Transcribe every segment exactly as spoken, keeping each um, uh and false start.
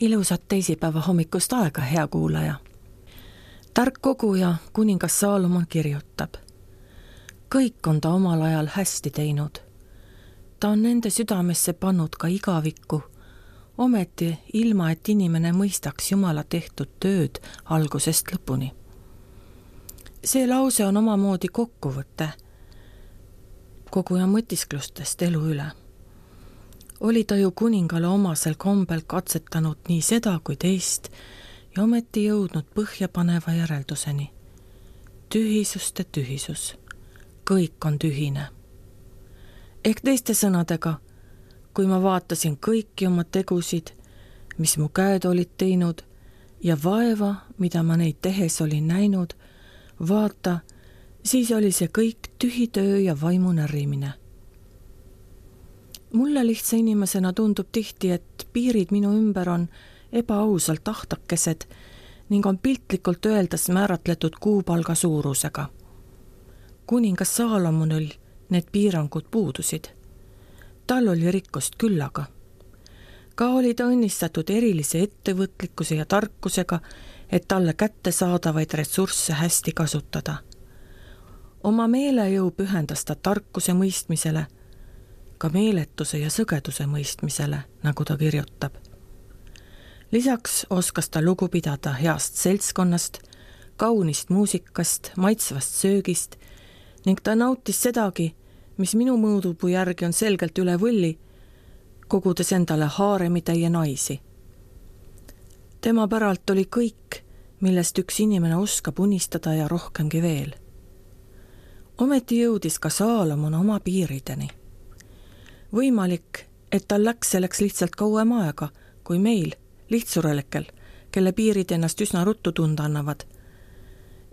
Ilusat teisipäeva hommikust aega, hea kuulaja. Tark koguja kuningas Saalomon kirjutab. Kõik on ta omal ajal hästi teinud. Ta on nende südamesse pannud ka igavikku, ometi ilma, et inimene mõistaks Jumala tehtud tööd algusest lõpuni. See lause on omamoodi kokkuvõte koguja mõtisklustest elu üle. Oli ta ju kuningale omasel kombel katsetanud nii seda kui teist ja ometi jõudnud põhjapaneva järelduseni. Tühisuste tühisus. Kõik on tühine. Ehk teiste sõnadega, kui ma vaatasin kõiki oma tegusid, mis mu käed olid teinud ja vaeva, mida ma neid tehes olin näinud, vaata, siis oli see kõik tühi töö ja vaimu närrimine. Mulle lihtsa inimesena tundub tihti, et piirid minu ümber on ebaausalt ahtakesed ning on piltlikult öeldes määratletud kuupalga suurusega. Kuningas Saalomonil need piirangud puudusid. Tal oli rikkust küllaga. Ka oli ta õnnistatud erilise ettevõtlikkuse ja tarkusega, et talle kätte saadavaid ressursse hästi kasutada. Oma meelejõu pühendas ta tarkuse mõistmisele, ka meeletuse ja sõgeduse mõistmisele, nagu ta kirjutab. Lisaks oskas ta lugu pidada heast seltskonnast, kaunist muusikast, maitsvast söögist ning ta nautis sedagi, mis minu mõõdupuu järgi on selgelt üle võlli, kogudes endale haaremitäie naisi. Tema päralt oli kõik, millest üks inimene oskab unistada ja rohkemgi veel. Ometi jõudis ka Saalomon oma piirideni. Võimalik, et tal läks selleks lihtsalt kauem aega, kui meil, lihtsurelikel, kelle piirid ennast üsna ruttu tunda annavad.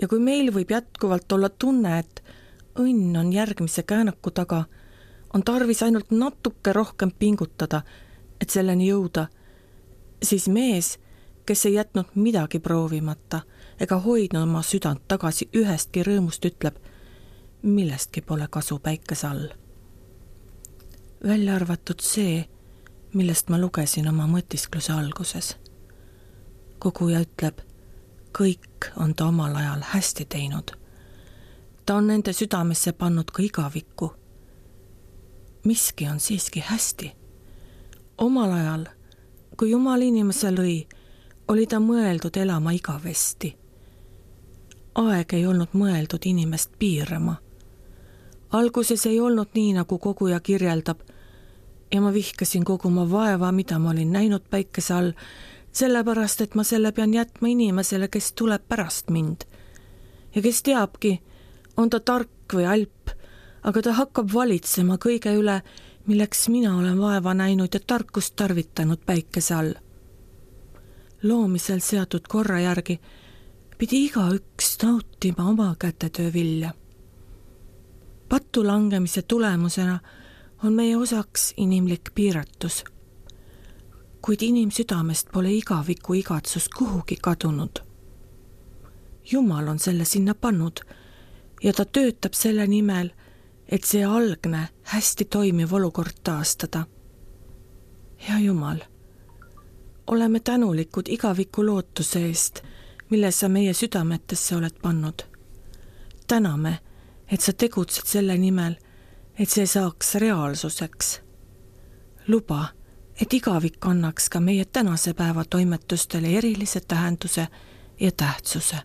Ja kui meil võib jätkuvalt olla tunne, et õnn on järgmise käänaku taga, on tarvis ainult natuke rohkem pingutada, et selleni jõuda, siis mees, kes ei jätnud midagi proovimata ega hoidnud oma südant tagasi ühestki rõõmust, ütleb, millestki pole kasu päikese all. Välja arvatud see, millest ma lugesin oma mõtiskluse alguses. Koguja ütleb, kõik on ta omal ajal hästi teinud. Ta on nende südamesse pannud ka igavikku. Miski on siiski hästi. Omal ajal, kui Jumal inimese lõi, oli ta mõeldud elama igavesti. Aeg ei olnud mõeldud inimest piirama. Alguses ei olnud nii, nagu koguja kirjeldab, ja ma vihkasin kogu oma vaeva, mida ma olin näinud päikese all, sellepärast, et ma selle pean jätma inimesele, kes tuleb pärast mind. Ja kes teabki, on ta tark või alp, aga ta hakkab valitsema kõige üle, milleks mina olen vaeva näinud ja tarkust tarvitanud päikese all. Loomisel seatud korra järgi pidi igaüks nautima oma kätetöö vilja. Pattu langemise tulemusena on meie osaks inimlik piiratus. Kuid inimsüdamest pole igaviku igatsus kuhugi kadunud. Jumal on selle sinna pannud ja ta töötab selle nimel, et see algne, hästi toimiv olukord taastada. Hea Jumal, oleme tänulikud igaviku lootuse eest, mille sa meie südametesse oled pannud. Täname, et sa tegutsed selle nimel, et see saaks reaalsuseks. Luba, et igavik annaks ka meie tänase päeva toimetustele erilise tähenduse ja tähtsuse.